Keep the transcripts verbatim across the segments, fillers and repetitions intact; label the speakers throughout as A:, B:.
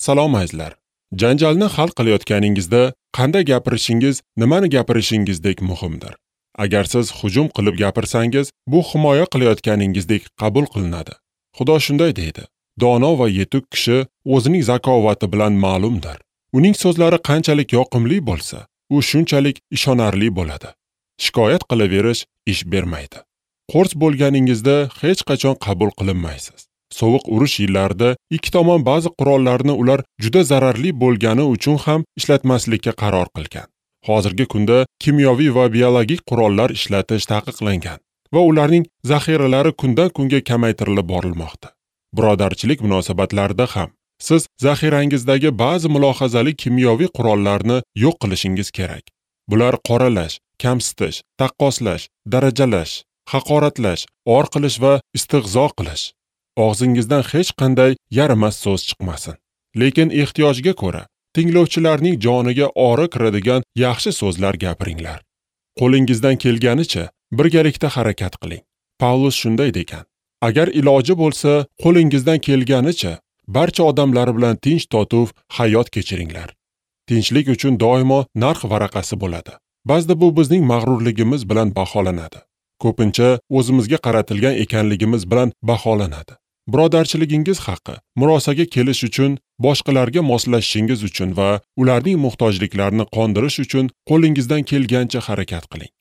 A: Salom azizlar. Janjalni hal qilayotganingizda qanday gapirishingiz, nimani gapirishingizdek muhimdir. Agar siz hujum qilib gapirsangiz, bu himoya qilayotganingizdek qabul qilinadi. Xudo shunday deydi: Dono va yetuk kishi o'zining zakovati bilan ma'lumdir. Uning so'zlari qanchalik yoqimli bo'lsa, u shunchalik ishonarli bo'ladi. Shikoyat qilaverish ish bermaydi. Qo'rs bo'lganingizda hech qachon qabul qilinmaysiz. Sovuq urush yillarida ikki tomon ba'zi qurollarni ular juda zararli bo'lgani uchun ham ishlatmaslikka qaror qilgan. Hozirgi kunda kimyoviy va biologik qurollar ishlatish taqiqlangan va ularning zaxiralari kundan kunga kamaytirilib borilmoqda. Birodarchilik munosabatlarida ham siz zaxirangizdagi ba'zi mulohazali kimyoviy qurollarni yo'q qilishingiz kerak. Bular qoralash, kamsitish, taqqoslash, darajalash, haqoratlash, or qilish va istehzo qilish. Og'zingizdan hech qanday yaramas so'z chiqmasin. Lekin ehtiyojga ko'ra tinglovchilarning joniga ori kiradigan yaxshi so'zlar gapiringlar. Qo'lingizdan kelganicha birgalikda harakat qiling. Pavlus shunday degan: Agar iloji bo'lsa, qo'lingizdan kelganicha barcha odamlar bilan tinch totuv hayot kechiringlar. Tinchlik uchun doimo narx varaqasi bo'ladi. Ba'zida bu bizning mag'rurligimiz bilan baholanadi. Ko'pincha o'zimizga qaratilgan ekanligimiz bilan baholanadi. Birodarchiligingiz haqi, murosaga kelish uchun, boshqalarga moslashishingiz uchun va ularning muhtojliklarini qondirish uchun qo'lingizdan kelgancha harakat qiling.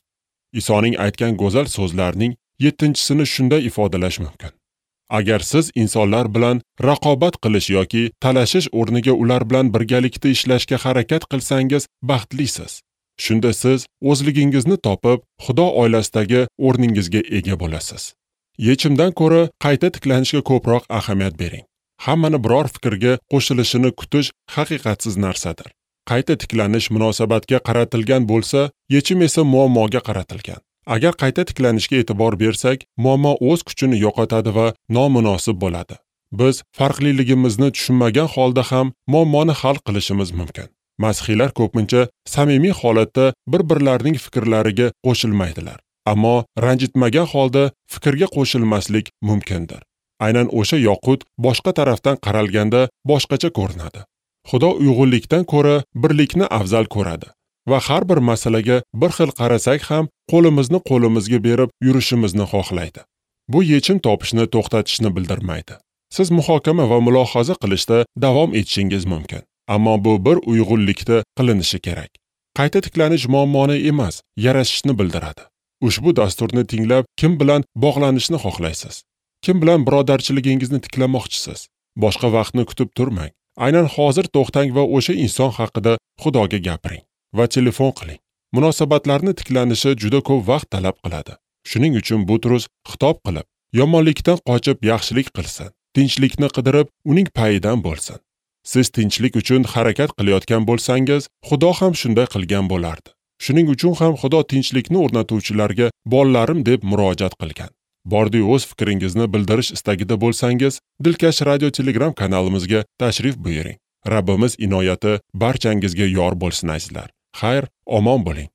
A: Isoning aytgan go'zal so'zlarining yettinchisini shunday ifodalash mumkin: Agar siz insonlar bilan raqobat qilish yoki talashish o'rniga ular bilan birgalikda ishlashga harakat qilsangiz, baxtlisiz. Shunda siz o'zligingizni topib, Xudo oilasidagi o'rningizga ega bo'lasiz. Yechimdan ko'ra qayta tiklanishga ko'proq ahamiyat bering. Hammani biror fikrga qo'shilishini kutish haqiqatsiz narsadir. Qayta tiklanish munosabatga qaratilgan bo'lsa, yechim esa muammoga qaratilgan. Agar qayta tiklanishga e'tibor bersak, muammo o'z kuchini yo'qotadi va nomunosib bo'ladi. Biz farqliligimizni tushunmagan holda ham muammoni hal qilishimiz mumkin. Masihiylar ko'pincha samimiy holatda bir-birlarining fikrlariga qo'shilmaydilar. Ammo ranjitmagan holda fikrga qo'shilmaslik mumkindir. Aynan o'sha yoqut boshqa tarafdan qaralganda boshqacha ko'rinadi. Xudo uyg'unlikdan ko'ra birlikni afzal ko'radi va har bir masalaga bir xil qarasak ham qo'limizni qo'limizga berib yurishimizni xohlaydi. Bu yechim topishni to'xtatishni bildirmaydi. Siz muhokama va mulohaza qilishda davom etishingiz mumkin. Ammo bu bir uyg'unlikda qilinishi kerak. Qayta tiklanish muammoni emas, yarashishni bildiradi. Ushbu dasturni tinglab kim bilan bog'lanishni xohlaysiz? Kim bilan birodarchiligingizni tiklamoqchisiz? Boshqa vaqtni kutib turmang. Aynan hozir to'xtang va o'sha inson haqida Xudoga gapiring va telefon qiling. Munosabatlarni tiklanishi juda ko'p vaqt talab qiladi. Shuning uchun Butrus xitob qilib, yomonlikdan qochib yaxshilik qilsin, tinchlikni qidirib uning payidan bo'lsin. Siz tinchlik uchun harakat qilayotgan bo'lsangiz, Xudo ham shunday qilgan bo'lardi. Shuning uchun ham Xudo tinchlikni o'rnatuvchilarga bolalarim deb murojaat qilgan. Bordi o'z fikringizni bildirish istagida bo'lsangiz, Dilkash Radio Telegram kanalimizga tashrif buyuring. Rabbimiz inoyati barchangizga yor bo'lsin azizlar. Xayr, omon bo'ling.